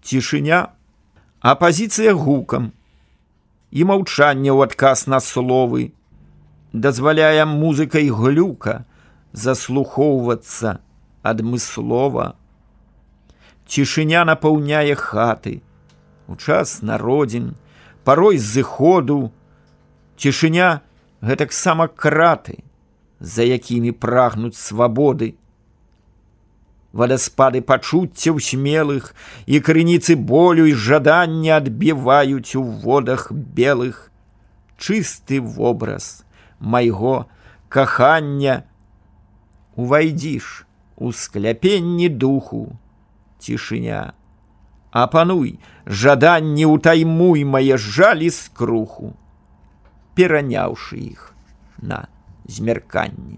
Цішыня, апазіцыя гукам і маўчанне ў адказ на словы дазваляе музыкай глюка заслухоўвацца адмыслова. Цішыня напаўняе хаты у час народзін, парой зыходу. Цішыня гэтаксама краты, за якімі прагнуць свабоды. Вадаспады пачуццяў смелых і крыніцы болю і жадання адбіваюць у водах белых чысты вобраз майго кахання. Увайдзіш у скляпенні духу, цішыня, апануй жаданні, утаймуй мае жалі скруху, пераняўшы іх на змярканні.